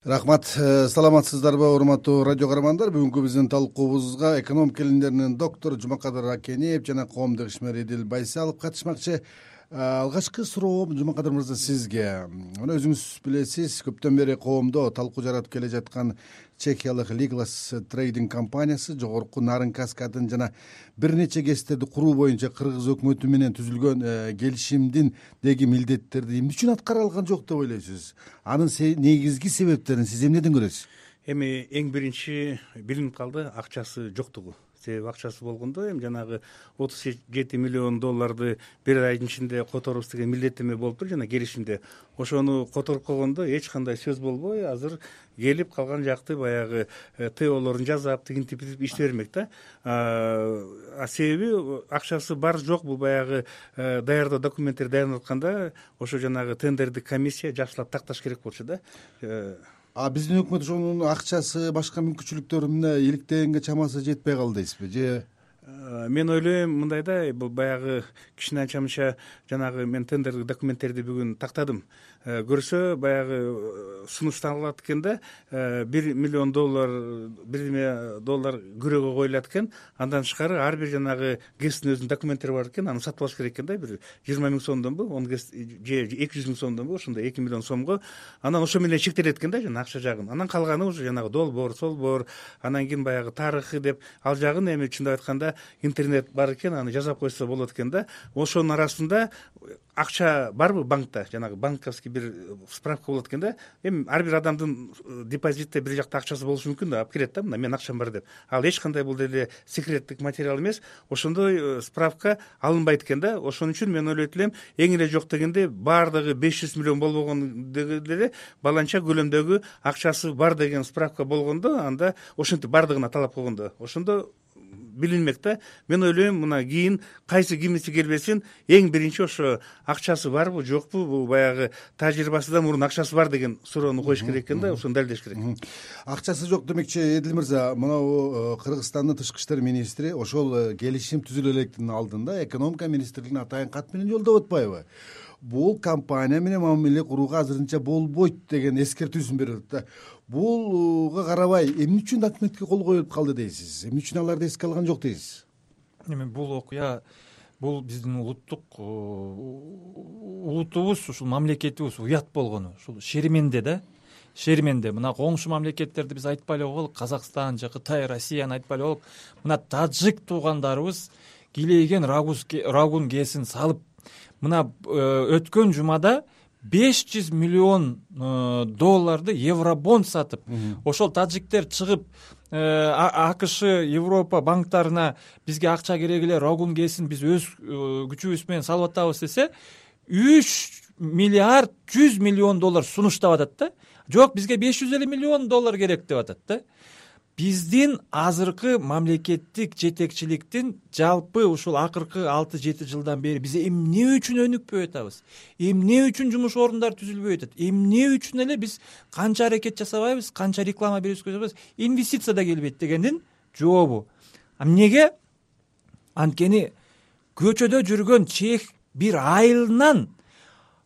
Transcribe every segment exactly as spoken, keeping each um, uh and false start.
Рахмат. Саламатсыздарбы, урматтуу радио каармандар? Бүгүнкү биздин талкуубузга экономика илимдеринин доктору Жумакадыр Акенеев жана коомдук ишмер Эдил Байсалов катышмакчы. Алгачкы суроом Жумакадыр мырза сизге. Мына өзүңүз билесиз, көптөн бери коомдо талкуу жаратып келе жаткан чехиялык Liglas Trading компаниясы жогорку нарын каскадын жана бир нече кесиптерди куруу боюнча кыргыз өкмөтү менен түзүлгөн келишимдин деги милдеттерди эмне үчүн аткара алган жок деп ойлойсуз? Анын негизги себептерин сиз эмнеден көрөсүз? Эми эң биринчи билинип калды акчасы жоктугу. Себеби акчасы болгондо эми жанагы отуз жети миллион долларды бир айдын ичинде которобуз деген милдеттеме болуптур жана келишимде. Ошону которуп койгондо эч кандай сөз болбой, азыр келип калган жакты баягы теолорун жасап, тигинтип иштей бермек да. А себеби акчасы бар жок, бул баягы даярдоо документтерди даярдап атканда ошо жанагы тендердик комиссия жакшылап такташ керек болчу да. А биздин өкмөт ошонун акчасы, башка мүмкүнчүлүктөрү мына иликтегенге чамасы жетпей калды дейсизби же? Мен ойлойм мындай да, бул баягы кишинин айтчанча жанагы мен тендердик документтерди бүгүн тактадым. Көрсө баягы сунушталат экен да, бир миллион доллар, бир эме доллар күрөөгө коюлат экен. Андан тышкары ар бир жанагы ГЭСтин өзүнүн документтери бар экен, аны сатып алыш керек экен да, бир жыйырма миң сомдонбу, он ГЭС же эки жүз миң сомдонбу, ошондой эки миллион сомго. Анан ошо менен чектелет экен да, жана акча жагын. Анан калганы уже жанагы долбоор, солбоор, анан кийин баягы тарыхы деп ал жагын эми чындап айтканда интернет бар экен, аны жасап койсо болот экен да. Ошонун арасында акча барбы банкта, жанагы банковский бир справка болот экен да. Эми ар бир адамдын депозитте бир жакта акчасы болушу мүмкүн да, алып келет да, мына менин акчам бар деп. Ал эч кандай бул деле секреттик материал эмес. Ошондой справка алынбайт экен да. Ошон үчүн мен ойлойт элем, эң эле жок дегенде баардыгы беш жүз миллион болбогон деле баланча көлөмдөгү акчасы бар деген справка болгондо, анда ошентип баардыгына талап койгондо, ошондо билинмек да. Мен ойлойм, мына кийин кайсы кимиси келбесин, эң биринчи ошо акчасы барбы, жокпу, бул баягы тажрыйбасынан мурун акчасы бар деген суроону коюш керек экен да, ошону далилдеш керек. Акчасы жок демекчи, Эдил мырза, мына Кыргызстандын тышкы иштер министри ошол келишим түзүлө электин алдында экономика министрлигине атайын кат менен жолдоп атпайбы? Бул компания менен мамиле курууга азырынча болбойт деген эскертүүсүн берип атат да. Булга карабай эмне үчүн документке кол коюлуп калды дейсиз? Эмне үчүн аларды эске алган жок дейсиз? Эми бул окуя, бул биздин улуттук улутубуз, ушул мамлекетибиз уят болгону, ушул шерименде да. Шерименде мына коңшу мамлекеттерди биз айтпай эле коелук, Казакстан же Кытай, Россияны айтпай эле коелук. Мына тажик туугандарыбыз килейген рагун кесин салып, мына өткөн жумада беш жүз миллион долларды евробонд сатып, ошол тажиктер чыгып АКШ, Европа банктарына бизге акча керек эле, рагун кесин биз өз күчүбүз менен салып атабыз десе, үч миллиард жүз миллион доллар сунуштап атат да. Жок, бизге беш жүз элүү миллион доллар керек деп атат да. Биздин азыркы мамлекеттик жетекчиликтин жалпы ушул акыркы алты жети жылдан бери биз эмне үчүн өнүкпөй атабыз? Эмне үчүн жумуш орундары түзүлбөй атат? Эмне үчүн эле биз канча аракет жасабайбыз, канча реклама берүүбүз жасабайбыз, инвестиция да келбейт дегендин жообу. А эмнеге? Анткени көчөдө жүргөн чех бир айылынан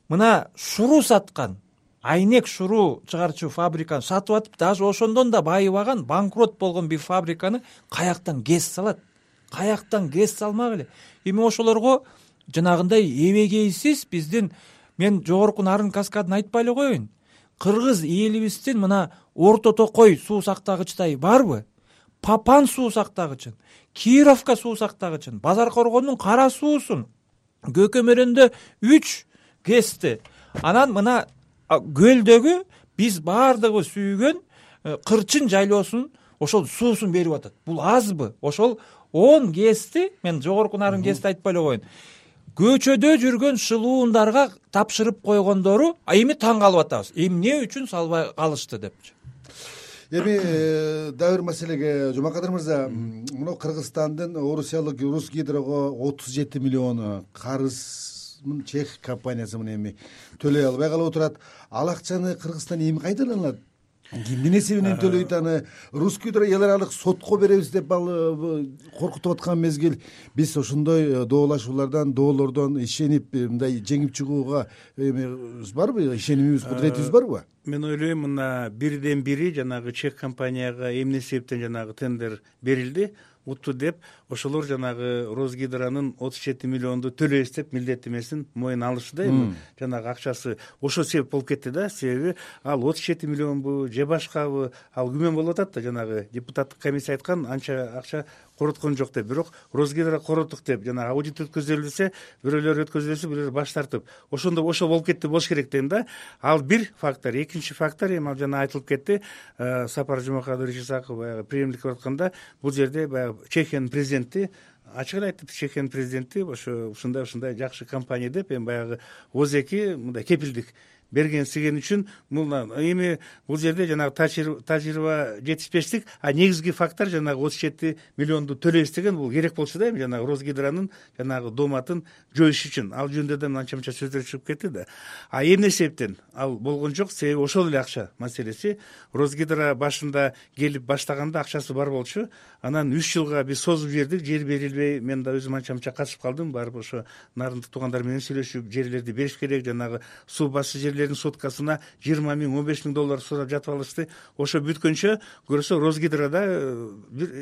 мына шуруу саткан, айнек шуруу чыгарчу фабриканы сатып атып, даже ошондон да байыбаган, банкрот болгон бир фабриканы каяктан гез салат? Каяктан гез салмак эле? Эми ошолорго жанагындай эбегейсиз биздин, мен жогорку нарын каскадын айтпай эле коеюн. Кыргыз элибиздин мына Орто Токой суу сактагычтай барбы? Папан суу сактагычын, Кировка суу сактагычын, Базар Коргондун кара суусун, Көкөмөрөндө үч гэсти, анан мына көлдөгү биз баардыгыбыз сүйгөн Кырчын жайлоосун ошол суусун берип атат. Бул азбы? Ошол он гэсти, мен жогорку нарын гэсти айтпай эле коеюн, көчөдө жүргөн шылуундарга тапшырып койгондору эми таң калып атабыз. Эмне үчүн салбай калышты депчи. Эми дагы бир маселеге, Жумакадыр мырза, мына Кыргызстандын Орусиялык Русгидрого отуз жети миллион карыз чех компаниясы мына эми төлөй албай калып отурат. Ал акчаны Кыргызстан эми кайдаланат? Кимдин эсебинен төлөйт аны? Русгидро эл аралык сотко беребиз деп ал коркутуп аткан мезгил, биз ошондой доолашуулардан, доолордон ишенип мындай жеңип чыгууга эми барбы? Ишенимибиз, кудуретибиз барбы? мен ойлойм мына бирден бири жанагы чек компанияга эмне себептен жанагы тендер берилди, утту деп ошолор жанагы Росгидронун отуз жети миллионду төлөйбүз деп милдеттемесин мойнуна алышты да. Эми жанагы акчасы ошол себеп болуп кетти да. Себеби ал отуз жети миллионбу же башкабы, ал күмөн болуп атат да. Жанагы депутаттык комиссия айткан анча акча короткон жок деп, бирок Росгидро короттук деп жанагы аудит өткөзүлсө, бирөөлөр өткөзүлсө, бирөөлөр баш тартып, ошондо ошол болуп кетти болуш керек дейм да. Ал бир фактор. Экинчи фактор, эми ал жана айтылып кетти, Сапар Жумакадырович Исаков баягы премьерлик кылып атканда, бул жерде баягы Чехиянын президенти ачык эле айтты. Чехиянын президенти ошо ушундай ушундай жакшы компания деп, эми баягы озеки мындай кепилдик берген сиген үчүн мына эми бул жерде жанагы тажрыйба жетишпештик, а негизги фактор жанагы отуз жети миллионду төлөйбүз деген бул керек болчу да. Эми жанагы Росгидронун жанагы дооматын жоюш үчүн ал жөнүндө да анча мынча сөздөр чыгып кетти да. А эмне себептен ал болгон жок? Себеби ошол эле акча маселеси. Росгидро башында келип баштаганда акчасы бар болчу. Анан үч жылга биз созуп жибердик, жер берилбей. Мен да өзүм анча мынча катышып калдым. Барып ошо нарындык туугандар менен сүйлөшүп, жерлерди бериш керек, жанагы суу басуу жерлердин соткасына жыйырма миң, он беш миң доллар сурап жатып алышты. Ошо бүткөнчө көрсө Росгидрода бир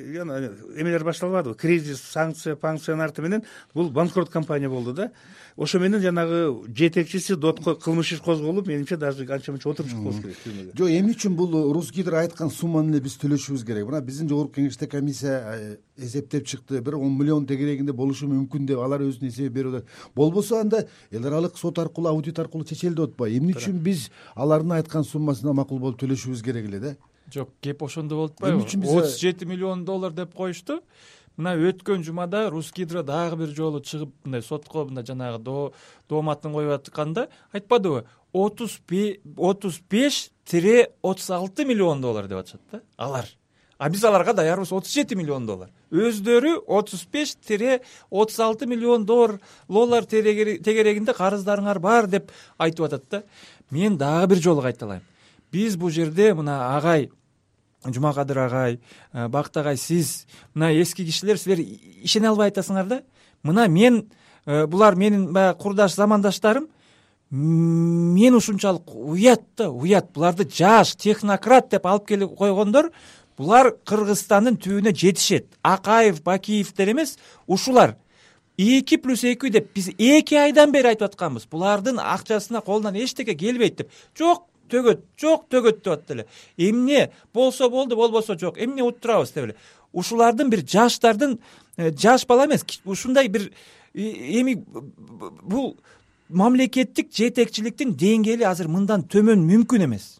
эмелер башталбадыбы? Кризис, санкция, панкциянын менен бул банкрот компания болду да. Ошо менен жанагы жетекчиси дотко кылмыш иш козголуп, менимче даже анча мынча отуруп чыкпош керек. Жок, эмне үчүн бул Росгидро айткан сумманы эле биз төлөшүбүз керек? Мына биздин жогорку кеңеште комиссия эсептеп чыкты, бир он миллион тегерегинде болушу мүмкүн деп алар өзүнүн эсеби берип атат. Болбосо анда эл аралык сот аркылуу, аудит аркылуу чечели деп атпайбы? Эмне үчүн биз алардын айткан суммасына макул болуп төлөшүбүз керек эле да? Жок, кеп ошондо болуп атпайбы? отуз жети миллион доллар деп коюшту. Мына өткөн жумада Росгидро дагы бир жолу чыгып мындай сотко мындай жанагы дооматын коюп атканда айтпадыбы? отуз беш отуз алты миллион доллар деп атышат да алар. А биз аларга даярбыз отуз жети миллион доллар. Өздөрү отуз беш отуз алты миллион доллар тегерегинде карыздарыңар бар деп айтып атат да. Мен дагы бир жолу кайталайм. Биз бул жерде мына агай Жумакадыр агай, Бакыт агай, сиз мына эски кишилер, силер ишене албай атасыңар да. Мына мен, булар менин баягы курдаш замандаштарым, мен ушунчалык уят да, уят. Буларды жаш технократ деп алып келип койгондор, булар Кыргызстандын түбүнө жетишет. Акаев, Бакиевдер эмес, ушулар эки плюс эки деп биз эки айдан бери айтып атканбыз. Булардын акчасына колунан эчтеке келбейт деп. Жок, төгөт, жок, төгөт деп атты эле. Эмне болсо болду, болбосо жок. Эмне уттурабыз деп эле. Ушулардын бир жаштардын, жаш бала эмес, ушундай бир эми бул мамлекеттик жетекчиликтин деңгээли азыр мындан төмөн мүмкүн эмес.